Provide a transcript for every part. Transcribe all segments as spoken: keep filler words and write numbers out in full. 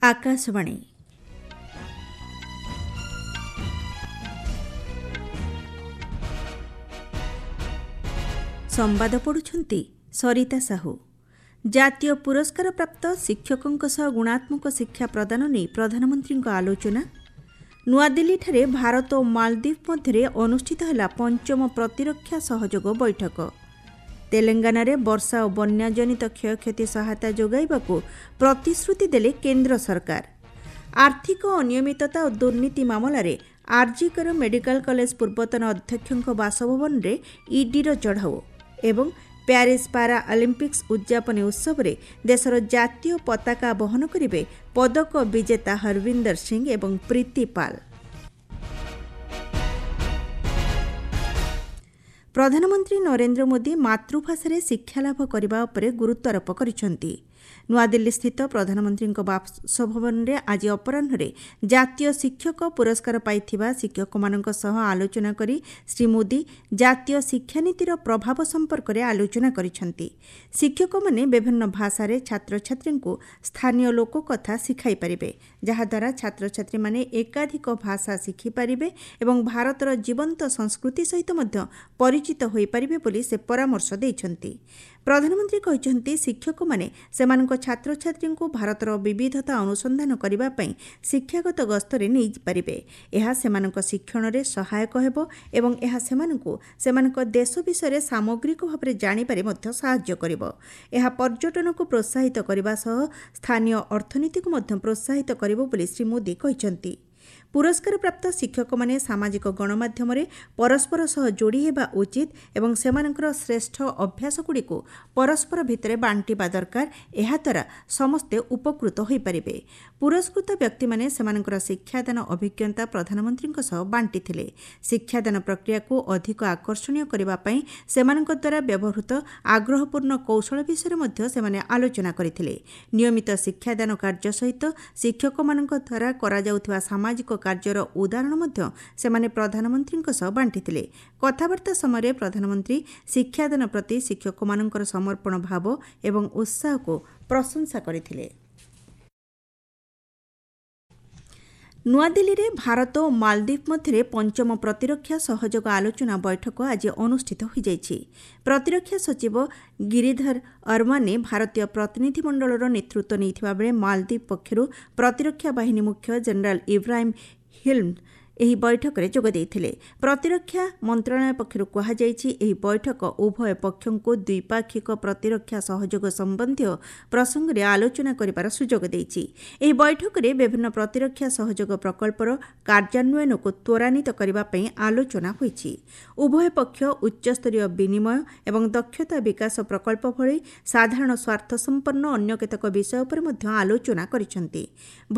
ଆକାଶବାଣୀ। ସମ୍ବାଦ ପଢ଼ୁଛନ୍ତି ସରିତା ସାହୁ। ଜାତୀୟ ପୁରସ୍କାରପ୍ରାପ୍ତ ଶିକ୍ଷକଙ୍କ ସହ ଗୁଣାତ୍ମକ ଶିକ୍ଷା ପ୍ରଦାନ ନେଇ ପ୍ରଧାନମନ୍ତ୍ରୀଙ୍କ ଆଲୋଚନା। ନୂଆଦିଲ୍ଲୀଠାରେ ଭାରତ ଓ ମାଳଦ୍ୱୀପ ମଧ୍ୟରେ ଅନୁଷ୍ଠିତ ହେଲା ପଞ୍ଚମ ପ୍ରତିରକ୍ଷା ସହଯୋଗ ବୈଠକ। ତେଲେଙ୍ଗାନାରେ ବର୍ଷା ଓ ବନ୍ୟାଜନିତ କ୍ଷୟକ୍ଷତି ସହାୟତା ଯୋଗାଇବାକୁ ପ୍ରତିଶ୍ରୁତି ଦେଲେ କେନ୍ଦ୍ର ସରକାର। ଆର୍ଥିକ ଅନିୟମିତତା ଓ ଦୁର୍ନୀତି ମାମଲାରେ ଆର୍ଜିକର ମେଡିକାଲ କଲେଜ ପୂର୍ବତନ ଅଧ୍ୟକ୍ଷଙ୍କ ବାସଭବନରେ ଇଡିର ଚଢ଼ାଉ ଏବଂ ପ୍ୟାରିସ୍ ପାରା ଅଲିମ୍ପିକ୍ସ ଉଦ୍ଯାପନୀ ଉତ୍ସବରେ ଦେଶର ଜାତୀୟ ପତାକା ବହନ କରିବେ ପଦକ ବିଜେତା ହରବିନ୍ଦର ସିଂ ଏବଂ ପ୍ରୀତି ପାଲ। ପ୍ରଧାନମନ୍ତ୍ରୀ ନରେନ୍ଦ୍ର ମୋଦି ମାତୃଭାଷାରେ ଶିକ୍ଷାଲାଭ କରିବା ଉପରେ ଗୁରୁତ୍ୱାରୋପ କରିଛନ୍ତି। ନୂଆଦିଲ୍ଲୀସ୍ଥିତ ପ୍ରଧାନମନ୍ତ୍ରୀଙ୍କ ବାସଭବନରେ ଆଜି ଅପରାହ୍ନରେ ଜାତୀୟ ଶିକ୍ଷକ ପୁରସ୍କାର ପାଇଥିବା ଶିକ୍ଷକମାନଙ୍କ ସହ ଆଲୋଚନା କରି ଶ୍ରୀ ମୋଦି ଜାତୀୟ ଶିକ୍ଷାନୀତିର ପ୍ରଭାବ ସମ୍ପର୍କରେ ଆଲୋଚନା କରିଛନ୍ତି। ଶିକ୍ଷକମାନେ ବିଭିନ୍ନ ଭାଷାରେ ଛାତ୍ରଛାତ୍ରୀଙ୍କୁ ସ୍ଥାନୀୟ ଲୋକକଥା ଶିଖାଇ ପାରିବେ, ଯାହାଦ୍ୱାରା ଛାତ୍ରଛାତ୍ରୀମାନେ ଏକାଧିକ ଭାଷା ଶିଖିପାରିବେ ଏବଂ ଭାରତର ଜୀବନ୍ତ ସଂସ୍କୃତି ସହିତ ମଧ୍ୟ ପରିଚିତ ହୋଇପାରିବେ ବୋଲି ସେ ପରାମର୍ଶ ଦେଇଛନ୍ତି। ପ୍ରଧାନମନ୍ତ୍ରୀ କହିଛନ୍ତି, ଶିକ୍ଷକମାନେ ସେମାନଙ୍କ ଛାତ୍ରଛାତ୍ରୀଙ୍କୁ ଭାରତର ବିବିଧତା ଅନୁସନ୍ଧାନ କରିବା ପାଇଁ ଶିକ୍ଷାଗତ ଗସ୍ତରେ ନେଇପାରିବେ। ଏହା ସେମାନଙ୍କ ଶିକ୍ଷଣରେ ସହାୟକ ହେବ ଏବଂ ଏହା ସେମାନଙ୍କୁ ସେମାନଙ୍କ ଦେଶ ବିଷୟରେ ସାମଗ୍ରିକ ଭାବରେ ଜାଣିବାରେ ମଧ୍ୟ ସାହାଯ୍ୟ କରିବ। ଏହା ପର୍ଯ୍ୟଟନକୁ ପ୍ରୋତ୍ସାହିତ କରିବା ସହ ସ୍ଥାନୀୟ ଅର୍ଥନୀତିକୁ ମଧ୍ୟ ପ୍ରୋତ୍ସାହିତ କରିବ ବୋଲି ଶ୍ରୀ ମୋଦି କହିଛନ୍ତି। ପୁରସ୍କାରପ୍ରାପ୍ତ ଶିକ୍ଷକମାନେ ସାମାଜିକ ଗଣମାଧ୍ୟମରେ ପରସ୍ପର ସହ ଯୋଡ଼ି ହେବା ଉଚିତ ଏବଂ ସେମାନଙ୍କର ଶ୍ରେଷ୍ଠ ଅଭ୍ୟାସଗୁଡ଼ିକୁ ପରସ୍ପର ଭିତରେ ବାଣ୍ଟିବା ଦରକାର। ଏହାଦ୍ୱାରା ସମସ୍ତେ ଉପକୃତ ହୋଇପାରିବେ। ପୁରସ୍କୃତ ବ୍ୟକ୍ତିମାନେ ସେମାନଙ୍କର ଶିକ୍ଷାଦାନ ଅଭିଜ୍ଞତା ପ୍ରଧାନମନ୍ତ୍ରୀଙ୍କ ସହ ବାଣ୍ଟିଥିଲେ। ଶିକ୍ଷାଦାନ ପ୍ରକ୍ରିୟାକୁ ଅଧିକ ଆକର୍ଷଣୀୟ କରିବା ପାଇଁ ସେମାନଙ୍କ ଦ୍ୱାରା ବ୍ୟବହୃତ ଆଗ୍ରହପୂର୍ଣ୍ଣ କୌଶଳ ବିଷୟରେ ମଧ୍ୟ ସେମାନେ ଆଲୋଚନା କରିଥିଲେ। ନିୟମିତ ଶିକ୍ଷାଦାନ କାର୍ଯ୍ୟ ସହିତ ଶିକ୍ଷକମାନଙ୍କ ଦ୍ୱାରା କରାଯାଉଥିବା ସାମାଜିକ କାର୍ଯ୍ୟର ଉଦାହରଣ ମଧ୍ୟ ସେମାନେ ପ୍ରଧାନମନ୍ତ୍ରୀଙ୍କ ସହ ବାଣ୍ଟିଥିଲେ। କଥାବାର୍ତ୍ତା ସମୟରେ ପ୍ରଧାନମନ୍ତ୍ରୀ ଶିକ୍ଷାଦାନ ପ୍ରତି ଶିକ୍ଷକମାନଙ୍କର ସମର୍ପଣ ଭାବ ଏବଂ ଉତ୍ସାହକୁ ପ୍ରଶଂସା କରିଥିଲେ। ନୂଆଦିଲ୍ଲୀରେ ଭାରତ ଓ ମାଳଦ୍ୱୀପ ମଧ୍ୟରେ ପଞ୍ଚମ ପ୍ରତିରକ୍ଷା ସହଯୋଗ ଆଲୋଚନା ବୈଠକ ଆଜି ଅନୁଷ୍ଠିତ ହୋଇଯାଇଛି। ପ୍ରତିରକ୍ଷା ସଚିବ ଗିରିଧର ଅରମାନେ ଭାରତୀୟ ପ୍ରତିନିଧିମଣ୍ଡଳର ନେତୃତ୍ୱ ନେଇଥିବା ବେଳେ ମାଳଦ୍ୱୀପ ପକ୍ଷରୁ ପ୍ରତିରକ୍ଷା ବାହିନୀ ମୁଖ୍ୟ ଜେନେରାଲ ଇବ୍ରାହିମ୍ ହିଲ୍ମ ଏହି ବୈଠକରେ ଯୋଗ ଦେଇଥିଲେ। ପ୍ରତିରକ୍ଷା ମନ୍ତ୍ରଣାଳୟ ପକ୍ଷରୁ କୁହାଯାଇଛି, ଏହି ବୈଠକ ଉଭୟ ପକ୍ଷଙ୍କୁ ଦ୍ୱିପାକ୍ଷିକ ପ୍ରତିରକ୍ଷା ସହଯୋଗ ସମ୍ବନ୍ଧୀୟ ପ୍ରସଙ୍ଗରେ ଆଲୋଚନା କରିବାର ସୁଯୋଗ ଦେଇଛି। ଏହି ବୈଠକରେ ବିଭିନ୍ନ ପ୍ରତିରକ୍ଷା ସହଯୋଗ ପ୍ରକଳ୍ପର କାର୍ଯ୍ୟାନ୍ୱୟନକୁ ତ୍ୱରାନ୍ୱିତ କରିବା ପାଇଁ ଆଲୋଚନା ହୋଇଛି। ଉଭୟ ପକ୍ଷ ଉଚ୍ଚସ୍ତରୀୟ ବିନିମୟ ଏବଂ ଦକ୍ଷତା ବିକାଶ ପ୍ରକଳ୍ପ ଭଳି ସାଧାରଣ ସ୍ୱାର୍ଥସମ୍ପନ୍ନ ଅନ୍ୟ କେତେକ ବିଷୟ ଉପରେ ମଧ୍ୟ ଆଲୋଚନା କରିଛନ୍ତି।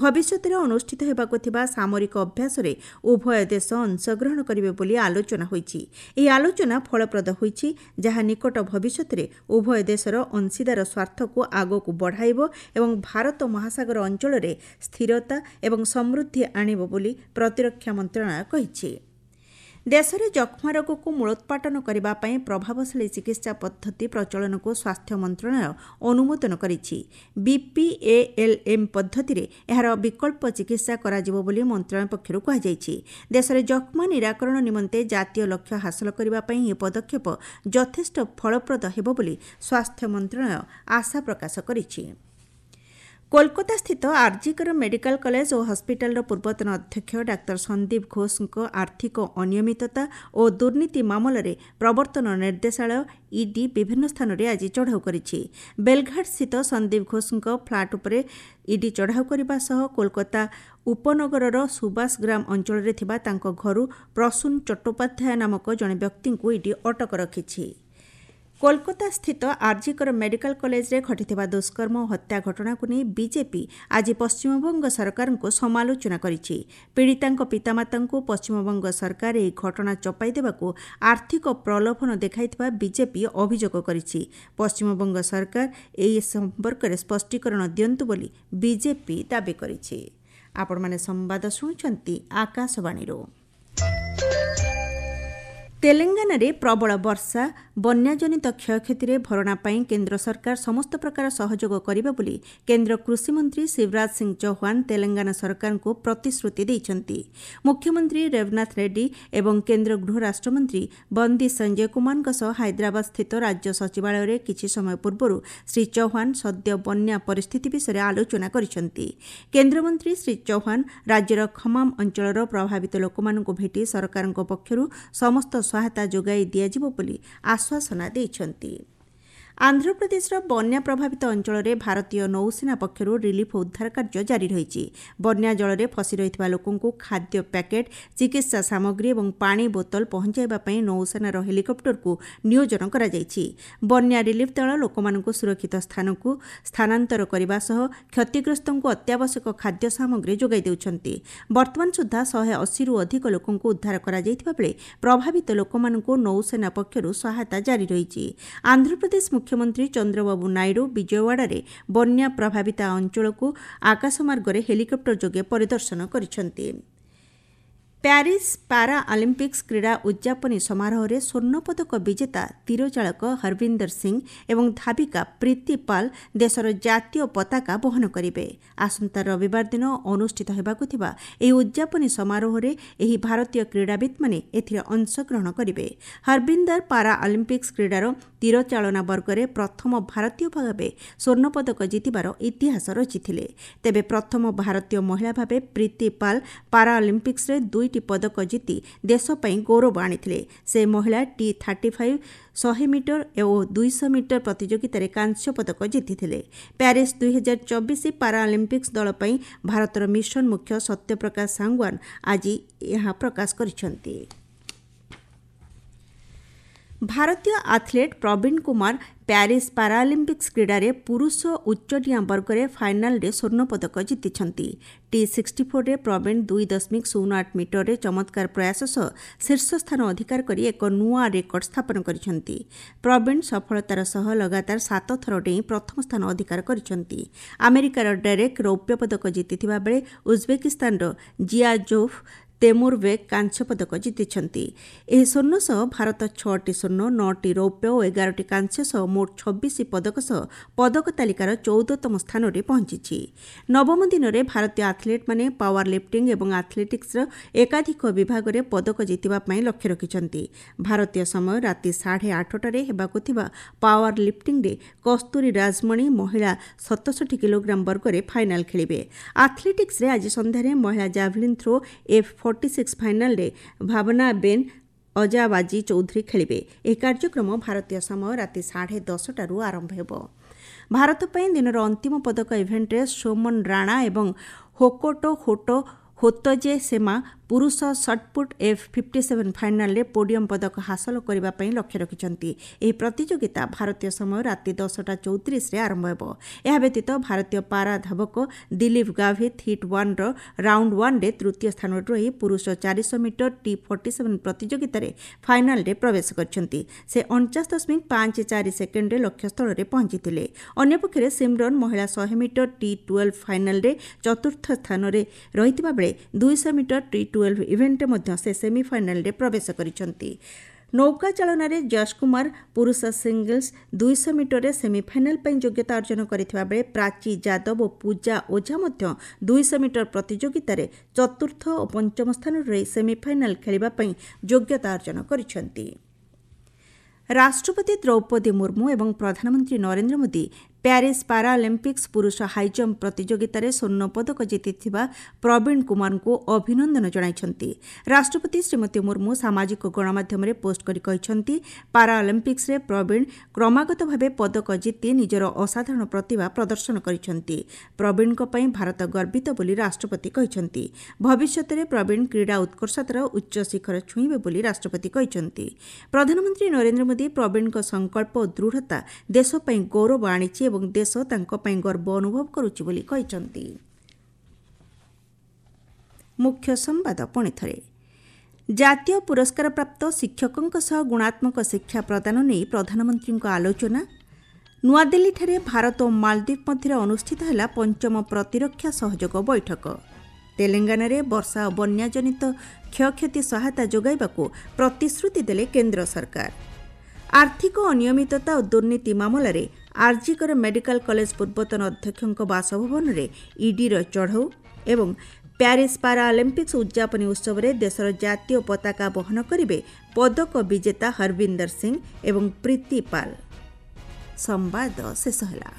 ଭବିଷ୍ୟତରେ ଅନୁଷ୍ଠିତ ହେବାକୁ ଥିବା ସାମରିକ ଅଭ୍ୟାସରେ ଉଭୟ ଦେଶ ଅଂଶଗ୍ରହଣ କରିବେ ବୋଲି ଆଲୋଚନା ହୋଇଛି। ଏହି ଆଲୋଚନା ଫଳପ୍ରଦ ହୋଇଛି, ଯାହା ନିକଟ ଭବିଷ୍ୟତରେ ଉଭୟ ଦେଶର ଅଂଶୀଦାର ସ୍ୱାର୍ଥକୁ ଆଗକୁ ବଢ଼ାଇବ ଏବଂ ଭାରତ ମହାସାଗର ଅଞ୍ଚଳରେ ସ୍ଥିରତା ଏବଂ ସମୃଦ୍ଧି ଆଣିବ ବୋଲି ପ୍ରତିରକ୍ଷା ମନ୍ତ୍ରଣାଳୟ କହିଛି। ଦେଶରେ ଯକ୍ଷ୍ମା ରୋଗକୁ ମୂଳୋତ୍ପାଟନ କରିବା ପାଇଁ ପ୍ରଭାବଶାଳୀ ଚିକିତ୍ସା ପଦ୍ଧତି ପ୍ରଚଳନକୁ ସ୍ୱାସ୍ଥ୍ୟ ମନ୍ତ୍ରଣାଳୟ ଅନୁମୋଦନ କରିଛି। ବିପିଏଏଲ୍ଏମ୍ ପଦ୍ଧତିରେ ଏହାର ବିକଳ୍ପ ଚିକିତ୍ସା କରାଯିବ ବୋଲି ମନ୍ତ୍ରଣାଳୟ ପକ୍ଷରୁ କୁହାଯାଇଛି। ଦେଶରେ ଯକ୍ଷ୍ମା ନିରାକରଣ ନିମନ୍ତେ ଜାତୀୟ ଲକ୍ଷ୍ୟ ହାସଲ କରିବା ପାଇଁ ଏହି ପଦକ୍ଷେପ ଯଥେଷ୍ଟ ଫଳପ୍ରଦ ହେବ ବୋଲି ସ୍ୱାସ୍ଥ୍ୟ ମନ୍ତ୍ରଣାଳୟ ଆଶା ପ୍ରକାଶ କରିଛି। କୋଲକାତାସ୍ଥିତ ଆର୍ଜିକର ମେଡିକାଲ କଲେଜ ଓ ହସ୍ପିଟାଲର ପୂର୍ବତନ ଅଧ୍ୟକ୍ଷ ଡାକ୍ତର ସନ୍ଦୀପ ଘୋଷଙ୍କ ଆର୍ଥିକ ଅନିୟମିତତା ଓ ଦୁର୍ନୀତି ମାମଲାରେ ପ୍ରବର୍ତ୍ତନ ନିର୍ଦ୍ଦେଶାଳୟ ଇଡି ବିଭିନ୍ନ ସ୍ଥାନରେ ଆଜି ଚଢ଼ାଉ କରିଛି। ବେଲଘାଟସ୍ଥିତ ସନ୍ଦୀପ ଘୋଷଙ୍କ ଫ୍ଲାଟ୍ ଉପରେ ଇଡି ଚଢ଼ାଉ କରିବା ସହ କୋଲକାତା ଉପନଗରର ସୁବାସଗ୍ରାମ ଅଞ୍ଚଳରେ ଥିବା ତାଙ୍କ ଘରୁ ପ୍ରସୂନ ଚଟ୍ଟୋପାଧ୍ୟାୟ ନାମକ ଜଣେ ବ୍ୟକ୍ତିଙ୍କୁ ଇଡି ଅଟକ ରଖିଛି। କୋଲକାତାସ୍ଥିତ ଆର୍ଜିକର ମେଡିକାଲ କଲେଜରେ ଘଟିଥିବା ଦୁଷ୍କର୍ମ ଓ ହତ୍ୟା ଘଟଣାକୁ ନେଇ ବିଜେପି ଆଜି ପଶ୍ଚିମବଙ୍ଗ ସରକାରଙ୍କୁ ସମାଲୋଚନା କରିଛି। ପୀଡ଼ିତାଙ୍କ ପିତାମାତାଙ୍କୁ ପଶ୍ଚିମବଙ୍ଗ ସରକାର ଏହି ଘଟଣା ଚପାଇ ଦେବାକୁ ଆର୍ଥିକ ପ୍ରଲୋଭନ ଦେଖାଇଥିବା ବିଜେପି ଅଭିଯୋଗ କରିଛି। ପଶ୍ଚିମବଙ୍ଗ ସରକାର ଏହି ସମ୍ପର୍କରେ ସ୍ପଷ୍ଟୀକରଣ ଦିଅନ୍ତୁ ବୋଲି ବିଜେପି ଦାବି କରିଛି। ଆପଣମାନେ ସମ୍ବାଦ ଶୁଣୁଛନ୍ତି ଆକାଶବାଣୀରୁ। ତେଲେଙ୍ଗାନାରେ ପ୍ରବଳ ବର୍ଷା ବନ୍ୟାଜନିତ କ୍ଷୟକ୍ଷତିରେ ଭରଣା ପାଇଁ କେନ୍ଦ୍ର ସରକାର ସମସ୍ତ ପ୍ରକାର ସହଯୋଗ କରିବେ ବୋଲି କେନ୍ଦ୍ର କୃଷିମନ୍ତ୍ରୀ ଶିବରାଜ ସିଂ ଚୌହାନ ତେଲେଙ୍ଗାନା ସରକାରଙ୍କୁ ପ୍ରତିଶ୍ରୁତି ଦେଇଛନ୍ତି। ମୁଖ୍ୟମନ୍ତ୍ରୀ ରେବନାଥ ରେଡ୍ଡୀ ଏବଂ କେନ୍ଦ୍ର ଗୃହ ରାଷ୍ଟ୍ରମନ୍ତ୍ରୀ ବନ୍ଦୀ ସଞ୍ଜୟ କୁମାରଙ୍କ ସହ ହାଇଦ୍ରାବାଦସ୍ଥିତ ରାଜ୍ୟ ସଚିବାଳୟରେ କିଛି ସମୟ ପୂର୍ବରୁ ଶ୍ରୀ ଚୌହାନ ସଦ୍ୟ ବନ୍ୟା ପରିସ୍ଥିତି ବିଷୟରେ ଆଲୋଚନା କରିଛନ୍ତି। କେନ୍ଦ୍ରମନ୍ତ୍ରୀ ଶ୍ରୀ ଚୌହାନ ରାଜ୍ୟର ଖମାମ ଅଞ୍ଚଳର ପ୍ରଭାବିତ ଲୋକମାନଙ୍କୁ ଭେଟି ସରକାରଙ୍କ ପକ୍ଷରୁ ସମସ୍ତ ସହାୟତା ଯୋଗାଇ ଦିଆଯିବ ବୋଲି ଆଶ୍ୱାସନା ଦେଇଛନ୍ତି। ଆନ୍ଧ୍ରପ୍ରଦେଶର ବନ୍ୟା ପ୍ରଭାବିତ ଅଞ୍ଚଳରେ ଭାରତୀୟ ନୌସେନା ପକ୍ଷରୁ ରିଲିଫ୍ ଓ ଉଦ୍ଧାର କାର୍ଯ୍ୟ ଜାରି ରହିଛି। ବନ୍ୟା ଜଳରେ ଫସି ରହିଥିବା ଲୋକଙ୍କୁ ଖାଦ୍ୟ ପ୍ୟାକେଟ୍, ଚିକିତ୍ସା ସାମଗ୍ରୀ ଏବଂ ପାଣି ବୋତଲ ପହଞ୍ଚାଇବା ପାଇଁ ନୌସେନାର ହେଲିକପ୍ଟରକୁ ନିୟୋଜନ କରାଯାଇଛି। ବନ୍ୟା ରିଲିଫ୍ ଦଳ ଲୋକମାନଙ୍କୁ ସୁରକ୍ଷିତ ସ୍ଥାନକୁ ସ୍ଥାନାନ୍ତର କରିବା ସହ କ୍ଷତିଗ୍ରସ୍ତଙ୍କୁ ଅତ୍ୟାବଶ୍ୟକ ଖାଦ୍ୟ ସାମଗ୍ରୀ ଯୋଗାଇ ଦେଉଛନ୍ତି। ବର୍ତ୍ତମାନ ସୁଦ୍ଧା ଶହେ ଅଶୀରୁ ଅଧିକ ଲୋକଙ୍କୁ ଉଦ୍ଧାର କରାଯାଇଥିବା ବେଳେ ପ୍ରଭାବିତ ଲୋକମାନଙ୍କୁ ନୌସେନା ପକ୍ଷରୁ ସହାୟତା ଜାରି ରହିଛି। ଆନ୍ଧ୍ରପ୍ରଦେଶ ମୁଖ୍ୟମନ୍ତ୍ରୀ ଚନ୍ଦ୍ରବାବୁ ନାଇଡୁ ବିଜୟୱାଡ଼ାରେ ବନ୍ୟା ପ୍ରଭାବିତ ଅଞ୍ଚଳକୁ ଆକାଶମାର୍ଗରେ ହେଲିକପ୍ଟର ଯୋଗେ ପରିଦର୍ଶନ କରିଛନ୍ତି। ପ୍ୟାରିସ୍ ପାରା ଅଲିମ୍ପିକ୍ସ କ୍ରୀଡ଼ା ଉଦ୍ଯାପନୀ ସମାରୋହରେ ସ୍ୱର୍ଣ୍ଣପଦକ ବିଜେତା ତୀରଚାଳକ ହରବିନ୍ଦର ସିଂ ଏବଂ ଧାବିକା ପ୍ରୀତି ପାଲ୍ ଦେଶର ଜାତୀୟ ପତାକା ବହନ କରିବେ। ଆସନ୍ତା ରବିବାର ଦିନ ଅନୁଷ୍ଠିତ ହେବାକୁ ଥିବା ଏହି ଉଦ୍ଯାପନୀ ସମାରୋହରେ ଏହି ଭାରତୀୟ କ୍ରୀଡ଼ାବିତ୍ମାନେ ଏଥିରେ ଅଂଶଗ୍ରହଣ କରିବେ। ହରବିନ୍ଦର ପାରା ଅଲିମ୍ପିକ୍ସ କ୍ରୀଡ଼ାର ତୀରଚାଳନା ବର୍ଗରେ ପ୍ରଥମ ଭାରତୀୟ ଭାବେ ସ୍ୱର୍ଣ୍ଣପଦକ ଜିତିବାର ଇତିହାସ ରଚିଥିଲେ। ତେବେ ପ୍ରଥମ ଭାରତୀୟ ମହିଳା ଭାବେ ପ୍ରୀତି ପାଲ୍ ପାରା ଅଲିମ୍ପିକ୍ସରେ ଦୁଇଟି ପଦକ ଜିତି ଦେଶ ପାଇଁ ଗୌରବ ଆଣିଥିଲେ। ସେ ମହିଳା ଟି ଥାର୍ଟି ଫାଇଭ୍ ଶହେ ମିଟର ଓ ଦୁଇଶହ ମିଟର ପ୍ରତିଯୋଗିତାରେ କାଂସ୍ୟ ପଦକ ଜିତିଥିଲେ। ପ୍ୟାରିସ୍ ଦୁଇହଜାର ଚବିଶ ପାରା ଅଲିମ୍ପିକ୍ସ ଦଳ ପାଇଁ ଭାରତର ମିଶନ ମୁଖ୍ୟ ସତ୍ୟପ୍ରକାଶ ସାଙ୍ଗୱାନ ଆଜି ଏହା ପ୍ରକାଶ କରିଛନ୍ତି। ଭାରତୀୟ ଆଥଲେଟ୍ ପ୍ରବୀଣ କୁମାର ପ୍ୟାରିସ୍ ପାରାଅଲିମ୍ପିକ୍ସ କ୍ରୀଡ଼ାରେ ପୁରୁଷ ଉଚ୍ଚଡିଆଁ ବର୍ଗରେ ଫାଇନାଲରେ ସ୍ୱର୍ଣ୍ଣପଦକ ଜିତିଛନ୍ତି। ଟି ସିକ୍ସଟି ଫୋର୍ରେ ପ୍ରବୀଣ ଦୁଇ ଦଶମିକ ଶୂନ ଆଠ ମିଟରରେ ଚମତ୍କାର ପ୍ରୟାସ ସହ ଶୀର୍ଷ ସ୍ଥାନ ଅଧିକାର କରି ଏକ ନୂଆ ରେକର୍ଡ ସ୍ଥାପନ କରିଛନ୍ତି। ପ୍ରବୀଣ ସଫଳତାର ସହ ଲଗାତାର ସାତ ଥର ଡେଇଁ ପ୍ରଥମ ସ୍ଥାନ ଅଧିକାର କରିଛନ୍ତି। ଆମେରିକାର ଡେରେକ୍ ରୌପ୍ୟ ପଦକ ଜିତିଥିବା ବେଳେ ଉଜବେକିସ୍ତାନର ଜିଆଜୋଭ୍ ତେମୁରବେକ୍ କାଂସ୍ୟ ପଦକ ଜିତିଛନ୍ତି। ଏହି ସ୍ୱର୍ଣ୍ଣ ସହ ଭାରତ ଛଅଟି ସ୍ୱର୍ଣ୍ଣ, ନଅଟି ରୌପ୍ୟ ଓ ଏଗାରଟି କାଂସ୍ୟ ସହ ମୋଟ ଛବିଶ ପଦକ ସହ ପଦକ ତାଲିକାର ଚଉଦତମ ସ୍ଥାନରେ ପହଞ୍ଚିଛି। ନବମ ଦିନରେ ଭାରତୀୟ ଆଥଲେଟ୍ମାନେ ପାୱାର ଲିଫ୍ଟିଂ ଏବଂ ଆଥଲେଟିକ୍ସର ଏକାଧିକ ବିଭାଗରେ ପଦକ ଜିତିବା ପାଇଁ ଲକ୍ଷ୍ୟ ରଖିଛନ୍ତି। ଭାରତୀୟ ସମୟ ରାତି ସାଢ଼େ ଆଠଟାରେ ହେବାକୁ ଥିବା ପାୱାର ଲିଫ୍ଟିଂରେ କସ୍ତୁରୀ ରାଜମଣି ମହିଳା ସତଷଠି କିଲୋଗ୍ରାମ ବର୍ଗରେ ଫାଇନାଲ ଖେଳିବେ। ଆଥଲେଟିକ୍ସରେ ଆଜି ସନ୍ଧ୍ୟାରେ ମହିଳା javelin throw F forty six ଫାଇନାଲରେ ଭାବନା ବେନ୍ ଅଜାବାଜି ଚୌଧୁରୀ ଖେଳିବେ। ଏହି କାର୍ଯ୍ୟକ୍ରମ ଭାରତୀୟ ସମୟ ରାତି ସାଢ଼େ ଦଶଟାରୁ ଆରମ୍ଭ ହେବ। ଭାରତ ପାଇଁ ଦିନର ଅନ୍ତିମ ପଦକ ଇଭେଣ୍ଟରେ ସୋମନ ରାଣା ଏବଂ ହୋକୋଟୋ ହୋଟୋ ହୋତଜେ ସେମା ପୁରୁଷ ସଟ୍ପୁଟ୍ ଏଫ୍ ଫିଫ୍ଟି ସେଭେନ୍ ଫାଇନାଲରେ ପୋଡିୟମ୍ ପଦକ ହାସଲ କରିବା ପାଇଁ ଲକ୍ଷ୍ୟ ରଖିଛନ୍ତି। ଏହି ପ୍ରତିଯୋଗିତା ଭାରତୀୟ ସମୟ ରାତି ଦଶଟା ଚଉତିରିଶରେ ଆରମ୍ଭ ହେବ। ଏହା ବ୍ୟତୀତ ଭାରତୀୟ ପାରା ଧାବକ ଦିଲୀପ ଗାଭିତ ହିଟ୍ ୱାନ୍ର ରାଉଣ୍ଡ ୱାନ୍ରେ ତୃତୀୟ ସ୍ଥାନରେ ରହି ପୁରୁଷ ଚାରିଶହ ମିଟର ଟି ଫର୍ଟି ସେଭେନ୍ ପ୍ରତିଯୋଗିତାରେ ଫାଇନାଲରେ ପ୍ରବେଶ କରିଛନ୍ତି। ସେ ଅଣଚାଶ ଦଶମିକ ପାଞ୍ଚ ଚାରି ସେକେଣ୍ଡରେ ଲକ୍ଷ୍ୟସ୍ଥଳରେ ପହଞ୍ଚିଥିଲେ। ଅନ୍ୟପକ୍ଷରେ ସିମରନ୍ ମହିଳା ଶହେ ମିଟର ଟି ଟୁଏଲ୍ଭ ଫାଇନାଲରେ ଚତୁର୍ଥ ସ୍ଥାନରେ ରହିଥିବା ବେଳେ ଦୁଇଶହ ମିଟର ଟି ଟୁଏଲ୍ଭ ଇଭେଣ୍ଟରେ ମଧ୍ୟ ସେ ସେମିଫାଇନାଲରେ ପ୍ରବେଶ କରିଛନ୍ତି। ନୌକା ଚାଳନାରେ ଯଶ କୁମାର ପୁରୁଷ ସିଙ୍ଗଲ୍ସ ଦୁଇଶହ ମିଟରରେ ସେମିଫାଇନାଲ ପାଇଁ ଯୋଗ୍ୟତା ଅର୍ଜନ କରିଥିବା ବେଳେ ପ୍ରାଚୀ ଯାଦବ ଓ ପୂଜା ଓଝା ମଧ୍ୟ ଦୁଇଶହ ମିଟର ପ୍ରତିଯୋଗିତାରେ ଚତୁର୍ଥ ଓ ପଞ୍ଚମ ସ୍ଥାନରେ ରହି ସେମିଫାଇନାଲ ଖେଳିବା ପାଇଁ ଯୋଗ୍ୟତା ଅର୍ଜନ କରିଛନ୍ତି। ରାଷ୍ଟ୍ରପତି ଦ୍ରୌପଦୀ ମୁର୍ମୁ ଏବଂ ପ୍ରଧାନମନ୍ତ୍ରୀ ନରେନ୍ଦ୍ର ମୋଦି ପ୍ୟାରିସ୍ ପାରାଅଲିମ୍ପିକ୍ସ ପୁରୁଷ ହାଇଜମ୍ପ ପ୍ରତିଯୋଗିତାରେ ସ୍ୱର୍ଣ୍ଣପଦକ ଜିତିଥିବା ପ୍ରବୀଣ କୁମାରଙ୍କୁ ଅଭିନନ୍ଦନ ଜଣାଇଛନ୍ତି। ରାଷ୍ଟ୍ରପତି ଶ୍ରୀମତୀ ମୁର୍ମୁ ସାମାଜିକ ଗଣମାଧ୍ୟମରେ ପୋଷ୍ଟ କରି କହିଛନ୍ତି, ପାରାଅଲିମ୍ପିକ୍ସରେ ପ୍ରବୀଣ କ୍ରମାଗତ ଭାବେ ପଦକ ଜିତି ନିଜର ଅସାଧାରଣ ପ୍ରତିଭା ପ୍ରଦର୍ଶନ କରିଛନ୍ତି। ପ୍ରବୀଣଙ୍କ ପାଇଁ ଭାରତ ଗର୍ବିତ ବୋଲି ରାଷ୍ଟ୍ରପତି କହିଛନ୍ତି। ଭବିଷ୍ୟତରେ ପ୍ରବୀଣ କ୍ରୀଡ଼ା ଉତ୍କର୍ଷତାର ଉଚ୍ଚ ଶିଖର ଛୁଇଁବେ ବୋଲି ରାଷ୍ଟ୍ରପତି କହିଛନ୍ତି। ପ୍ରଧାନମନ୍ତ୍ରୀ ନରେନ୍ଦ୍ର ମୋଦି ପ୍ରବୀଣଙ୍କ ସଂକଳ୍ପ ଓ ଦୃଢ଼ତା ଦେଶ ପାଇଁ ଗୌରବ ଆଣିଛି ଏବଂ ଦେଶ ତାଙ୍କ ପାଇଁ ଗର୍ବ ଅନୁଭବ କରୁଛି ବୋଲି କହିଛନ୍ତି। ମୁଖ୍ୟ ସମ୍ବାଦ ପୁଣି ଥରେ। ଜାତୀୟ ପୁରସ୍କାରପ୍ରାପ୍ତ ଶିକ୍ଷକଙ୍କ ସହ ଗୁଣାତ୍ମକ ଶିକ୍ଷା ପ୍ରଦାନ ନେଇ ପ୍ରଧାନମନ୍ତ୍ରୀଙ୍କ ଆଲୋଚନା। ନୂଆଦିଲ୍ଲୀଠାରେ ଭାରତ ଓ ମାଳଦ୍ୱୀପ ମଧ୍ୟରେ ଅନୁଷ୍ଠିତ ହେଲା ପଞ୍ଚମ ପ୍ରତିରକ୍ଷା ସହଯୋଗ ବୈଠକ। ତେଲେଙ୍ଗାନାରେ ବର୍ଷା ଓ ବନ୍ୟାଜନିତ କ୍ଷୟକ୍ଷତି ସହାୟତା ଯୋଗାଇବାକୁ ପ୍ରତିଶ୍ରୁତି ଦେଲେ କେନ୍ଦ୍ର ସରକାର। ଆର୍ଥିକ ଅନିୟମିତତା ଓ ଦୁର୍ନୀତି ମାମଲାରେ ଆରଜିକର ମେଡିକାଲ କଲେଜ ପୂର୍ବତନ ଅଧ୍ୟକ୍ଷଙ୍କ ବାସଭବନରେ ଇଡିର ଚଢ଼ଉ ଏବଂ ପ୍ୟାରିସ୍ ପାରାଅଲିମ୍ପିକ୍ସ ଉଦ୍ଯାପନୀ ଉତ୍ସବରେ ଦେଶର ଜାତୀୟ ପତାକା ବହନ କରିବେ ପଦକ ବିଜେତା ହରବିନ୍ଦର ସିଂ ଏବଂ ପ୍ରୀତି ପାଲ। ସମ୍ବାଦ ଶେଷ ହେଲା।